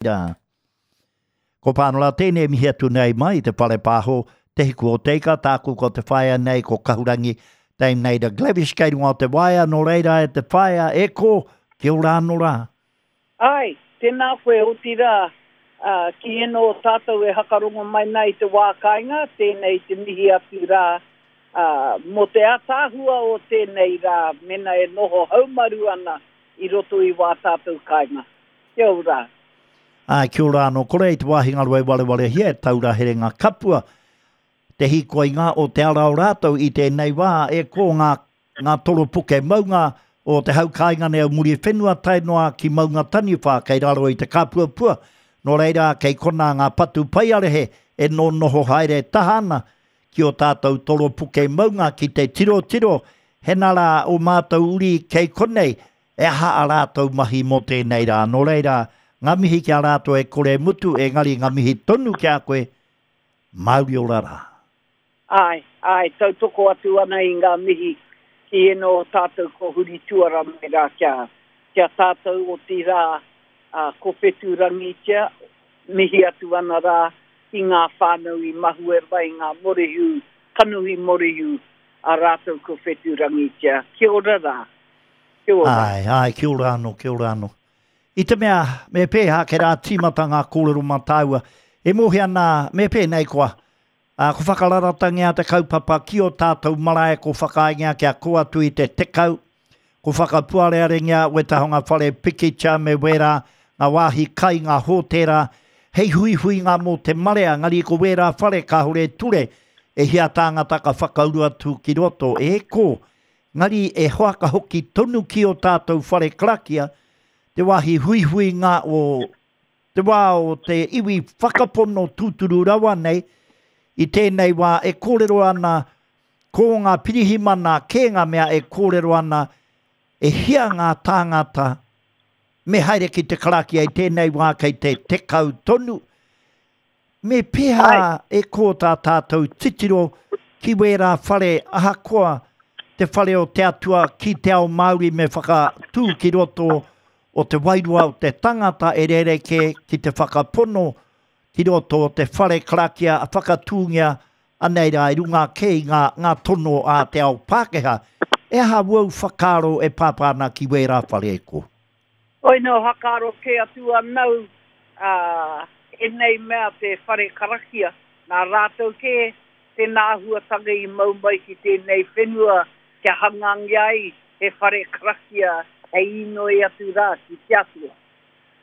Rā. Ko Pānora tēnei e mihi atu nei mai i te whare pāho, Te Hiku o Te Ika, tāku ko te whaea nei ko Kahurangi Dame Naida Glavish kei runga o te waea, nō reira e te whaea, e kō, kia ora anō rā. Āe, tēnā koe, otirā, ā, ki ēnō o tātou e hakarongo mai nā i te wā kāinga, tēnei te mihi atu rā, ā, mō te ātaahua o tēnei rā, mēnā e noho haumaru ana i roto i wā tātou kāinga. Kia ora. Āe, kia ora anō. Kore i te wāhi ngaro e warewarehia e taura herenga kapua te hīkoinga o te ara o rātou i tēnei wā e kō ngā, ngā toropuke maunga o te hau kāinga nei o Muriwhenua tae noa ki Maunga Taniwha kei raro i te kāpuapua. Nō reira, kei konā ngā patu paiarehe e nōnoho haere taha ana ki ō tātou toropuke maunga ki te tirotiro hena rā ō mātou uri kei konei He aha a rātou mahi mō tēnei rā? Nō reira, ngā mihi ki a rātou e kore e mutu, engari ngā mihi tonu ki a koe, Māori ora rā. Āe, āe, tautoko atu ana i ngā mihi ki ēnō o tātou ko huri tuara mai rā kia, kia tātou, otirā, ā, ko Whetūrangitia, mihi atu ana rā ki ngā whānau i mahue mai ngā morehu, kanohi morehu a rātou ko Whetūrangitia. Kia ora rā. Kia ora. Āe, āe, kia ora anō, kia ora anō. I te mea, me pēhā kei rā tīmata ngā kōrero mā tāua, e mōhio ana, me pēnei koa, ā, ko whakararatangia te kaupapa ki ō tātou marae, ko whakaaengia kia kō atu i te 10, ko whakapuarearengia wētahi o ngā whare pikitia me wērā, ngā wāhi kai, ngā hōtēra, hei huihuinga mō te marea, engari ko wērā whare kāore e ture, e hia tāngata ka whakauru atu ki roto, e kō, Engari e hoaka hoki tonu ki ō tātou whare karakia, te wāhi huihuinga o te wā o te iwi whakapono tūturu rawa nei, i tēnei wā e kōrero ana ko ngā pirihimana kē ngā mea e kōrero ana e hia ngā tāngata me haere ki te karakia i tēnei wā kei te 10 tonu, Me pēhā e kō tā tātou titiro ki wērā whare ahakoa te whare o te Atua ki te ao Māori me whakatū ki roto o te wairua o te tangata e rerekē ki te whakapono ki roto o te whare karakia whakatūngia anei rā i runga ake i ngā, ngā tono a te ao Pākehā. E aha wōu whakaaro e pāpā ana ki wērā whare e kō? Oi no hakaaro kē atu anau a enei mea te whare karakia, nā rātou kē tēnā āhuatanga i mau mai ki tēnei whenua kia hangangia ai he whare karakia hei inoi atu rā ki te Atua.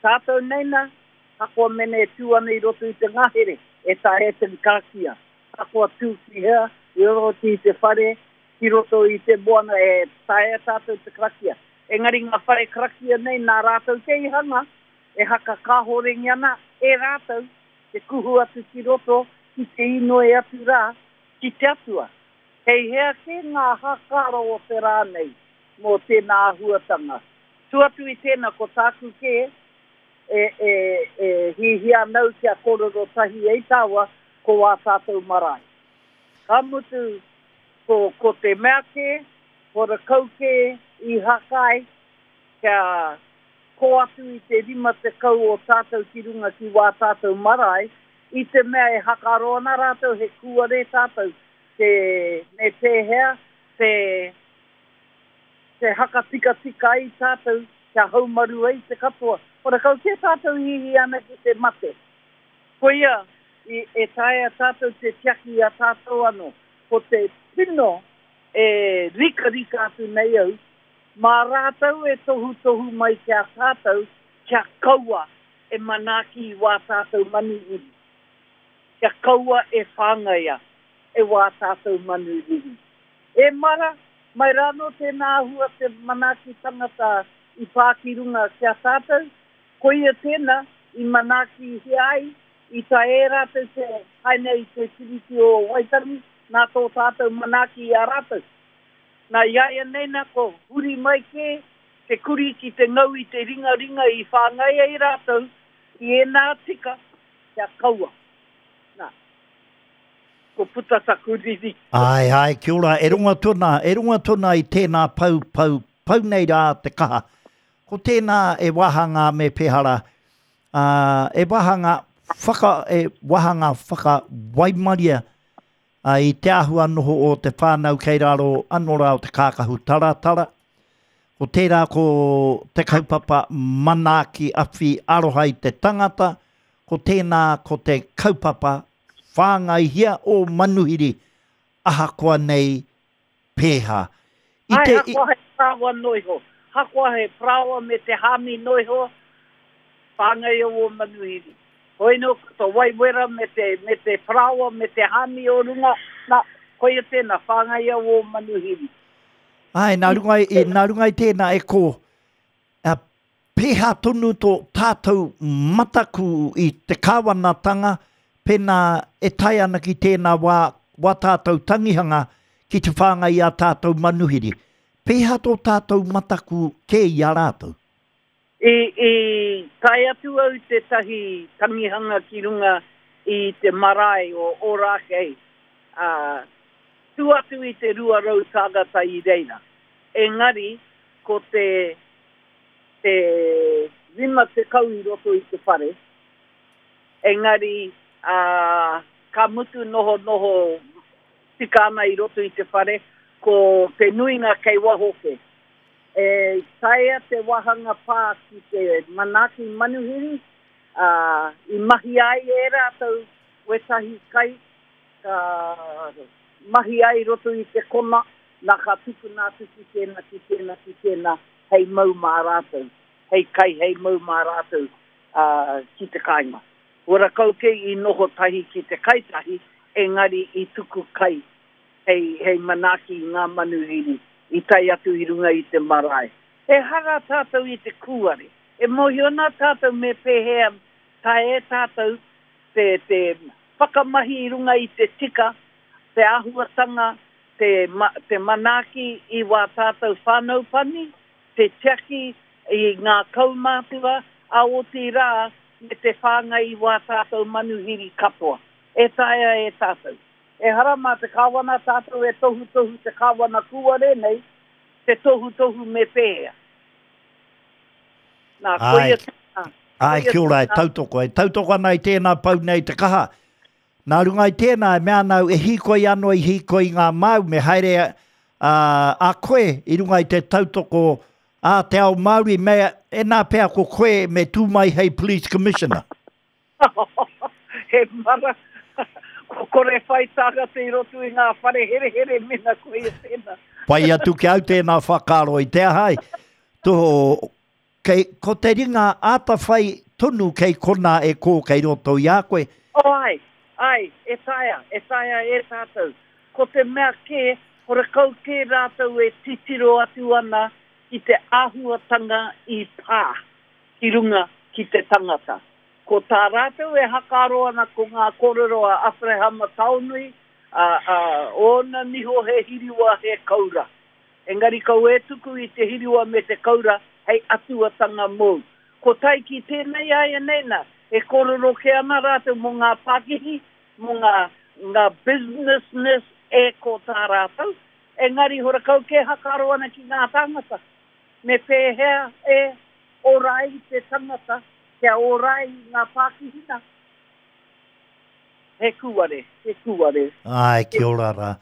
Tātou nei na, hakoa mene e tū ana i roto i te ngahere, e taea te karakia, hakoa tū ki hea, i roto i te whare, ki roto i te moana e taea tātou te karakia. Engari ngā whare karakia nei nā rātou kē i hanga, e haka kāhorengi ana e rātou te kuhu atu ki roto ki te inoi atu rā ki te Atua. Kei hea kē ngā hākaro o te rā nei mō tēnā āhuatanga? Tua atu i tēnā ko tāku kē e, e, e hihia ana au kia kōrero tahi ai tāua ko ā tātou marae. Ka mutu ko, ko te mea kē, Horakau kē i hakai kia kō atu i te 50 o tātou ki runga ki wā tātou marae, i te mea e hakaro ana rātou he kūare tātou te me pēhea te te hakatikatika ai tātou kia haumaru ai te katoa. Horakau kē tātou i hihi ana ki te mate. Koia i e taea tātou te tiaki i a tātou anō. Ko te tino e rikarika atu nei au, mā rātou e tohutohu mai ki a tātou kia kaua e manaaki i wā tātou manu riri, kia kaua e whāngaia e wā tātou manu riri. E mara, mai rānō tēnā āhua te manaaki tangata i pā ki runga ki a tātou, koia tēnā i manaakihia ai I tae e rātou te haina i te Tiriti o Waitangi nā tō tātou manaaki i a rātou. Nā iaianei nā ko huri mai kē te kurī ki te ngau i te ringaringa i whāngai ai rātou i ēnā tika kia kaua. Nā, ko puta taku riri. Āe, āe, kia ora, e rongo atu ana, e rongo atu ana i tēnā pau, pau, pau nei rā te kaha. Ko tēnā e wāhanga me pēhara. Ā, e wāhanga whaka, e wāhanga whakawaimaria ā, i te āhua noho o te whānau kei raro anō rā o te kākahu taratara. Ko tērā ko te kaupapa manaaki awhi aroha i te tangata, ko tēnā ko te kaupapa whāngaihia ō manuhiri ahakoa nei pēhā. I te, Āe, hakoa he parāoa noiho. Hakoa he parāoa me te hāmi noiho, whāngaia ō manuhiri. Hoi nō, ko te wai wera me te, me te parāoa me te hāmi o runga, nā, koia tēnā, whāngaia ō manuhiri. Āe, nā runga i, nā runga i tēnā e kō, Pēhea tonu tō tātou mataku i te kāwanatanga pēnā e tae ana ki tēnā wā, wā tātou tangihanga ki te whāngai i ā tātou manuhiri? Pēhea tō tātou mataku kē i a rātou? I, i tae atu au tētahi tangihanga ki runga i te marae o Ōrākei, ā, tū atu i te 200 tāngata i reira. Engari, ko te te 50 i roto i te whare, engari ā, ka mutu nohonoho tika ana i roto i te whare, ko te nuinga kei waho kē. E taea te wāhanga pā ki te manaaki manuhiri, ā, i mahia ai e rātou wētahi kai, ka mahia ai i roto i te kona, nā ka tukuna atu ki tēnā, ki tēnā, ki tēnā, hei mau mā rātou, hei kai hei mau mā rātou ki te kāinga. Ora kau kē i noho tahi ki te kai tahi, engari i tuku kai hei, hei manaaki i ngā manuhiri i tae atu i runga i te marae. Ehara tātou i te kūare. E mōhio ana tātou me pēhea taea e tātou te, te whakamahi i runga i te tika, te āhuatanga te, te manaaki i wā tātou whānau pani, te tiaki i ngā kaumātua, ā, otirā, me te whāngai i wā tātou manuhiri katoa. E taea e tātou. Ehara mā te Kāwana tātou e tohutohu te Kāwana kūare nei, te tohutohu me pēhea. Nā, koia tēnā. Āe, kia ora, e tautoko. E tautoko ana i tēnā pau nei te kaha. Nā runga i tēnā, e mea ana au, e hīkoi anō i hīkoi i ngā māu, me haere a, a koe i runga i te tautoko a te ao Māori, me, ēnā pea ko koe me tū mai hei Police Commissioner. He mara, ko kore whai tāngata i roto i ngā whare herehere mena koia tēnā. Pai atu ki au tēnā whakaaro i te aha ai. Tō, Kei, ko te ringa ātawhai tonu kei konā e kō kei roto i a koe. Oh āe, āe, e taea, e taea e tātou. Ko te mea kē, horekau kē rātou e titiro atu ana ki te āhuatanga i pā ki runga ki te tangata. Ko tā rātou e hakaaro ana ko ngā kōrero a Aperehama Taonui, ā, ā, ōna niho he hiriwa, he koura. Engari kau e tuku i te hiriwa me te koura hei atuatanga mōu. Ko tae ki tēnei āianei nā, e kōrero kē ana rātou mō ngā pākihi, mō ngā, ngā businessness e ko tā rātou, engari horakau kē hakaaro ana ki ngā tāngata. Me pēhea e ora ai te tangata kia ora ai ngā pākihi nā? He kūare, he kūare. Āe, kia ora rā.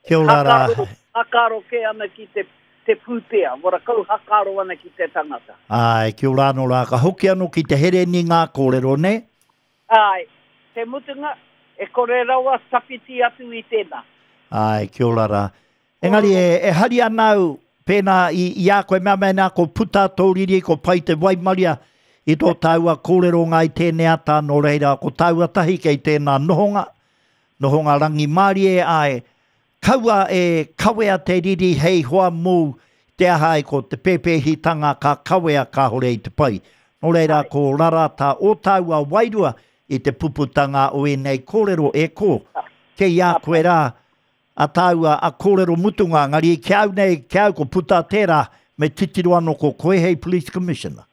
Kia ora rā. Hakaaro, hakaaro kē ana ki te, te pūtea, wara kau hakaaro ana ki te tangata. Āe, kia ora anō rā. Ka hoki anō ki te hereni ngā kōrero, nē? Āe, te mutunga, e kore rawa tawhiti atu i tēnā. Āe, kia ora rā. Engari e, e hari ana au, pēnā i, i a koe mea mēnā ko puta tō riri, ko pai te waimaria i tō tāua kōrero ngā i tēnei ata, nō reira, ko tāua tahi kei tēnā nohonga, Nohonga rangimārie āe, kaua e kawea te riri hei hoa mōu, te aha ai ko te pēpēhitanga ka kawea kāore i te pai. Nō reira ko rara tā ō tāua wairua i te puputanga o ēnei kōrero e kō, kei a koe rā a tāua a kōrero mutunga, engari ki au nei, ki au ko puta tērā, me titiro anō ko koe hei Police Commissioner.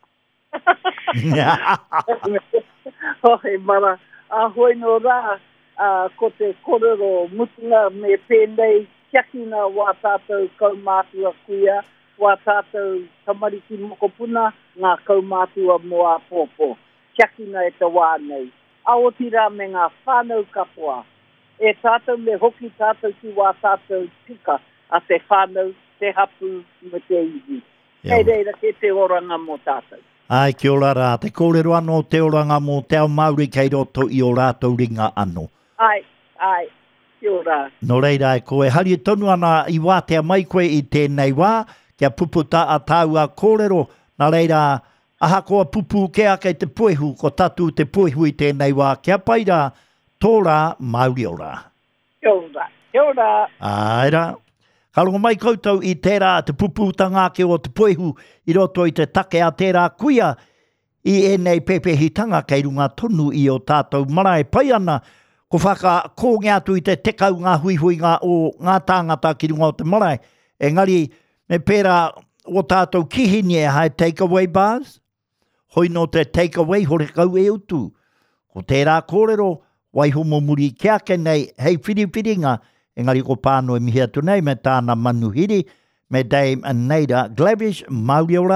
Hoi mara, a hoi no rā, a, ko te korero mutunga me pēnei, tiakina wā tātou kaumātua kuia, wā tātou tamariki mokopuna, ngā kaumātua mō āpōpō. tiakina e te wā nei. A otirā me ngā whānau katoa. E tātou me hoki tātou ki wā tātou tika a te whānau, te hapū me te iwi. Kei reira kē te oranga mō tātou. Āe, kia ora rā. Te kōrero anō te oranga mō te ao Māori kei roto i ō rātou ringa anō. Āe, āe, kia ora. Nō reira, e ko e hari tonu ana i wātea mai koe i tēnei wā, kia puputa a tāua kōrero, nā reira, ahakoa pupū kē ake te puehu, ko tatū te puehu i tēnei wā, kia pai rā, tō rā, Māori ora. Kia ora. Kia ora. Āe rā. Ka rongo mai koutou i tērā te pupūtanga ake o te puehu i roto i te take a tērā kuia i ēnei pēpēhitanga kei runga tonu i ō tātou marae pai ana ko whakakōngia atu i te 10 ngā huihuinga o ngā tāngata ki runga o te marae engari me pērā ō tātou kihini e hae take away bars Hoi nō te take away horekau e utu. Ko tērā kōrero, waiho mō muri kē ake nei hei whiriwhiringa, engari ko Pānoi mihi atu nei me tāna manuhiri, me Dame Naida Glavish, Māori ora.